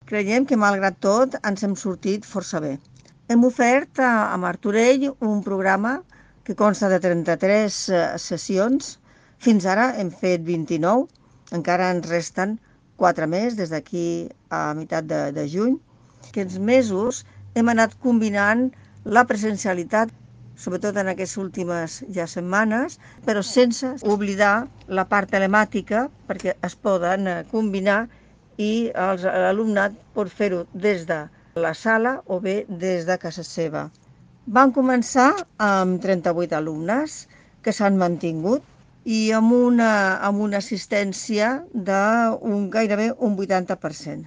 Creiem que, malgrat tot, ens hem sortit força bé. Hem ofert a Martorell un programa que consta de 33 sessions. Fins ara hem fet 29, encara ens resten 4 més des d'aquí a meitat de juny. Aquests mesos hem anat combinant la presencialitat, sobretot en aquestes últimes ja setmanes, però sense oblidar la part telemàtica, perquè es poden combinar i l'alumnat pot fer-ho des de la sala o bé des de casa seva. Van començar amb 38 alumnes que s'han mantingut i amb una assistència gairebé un 80%.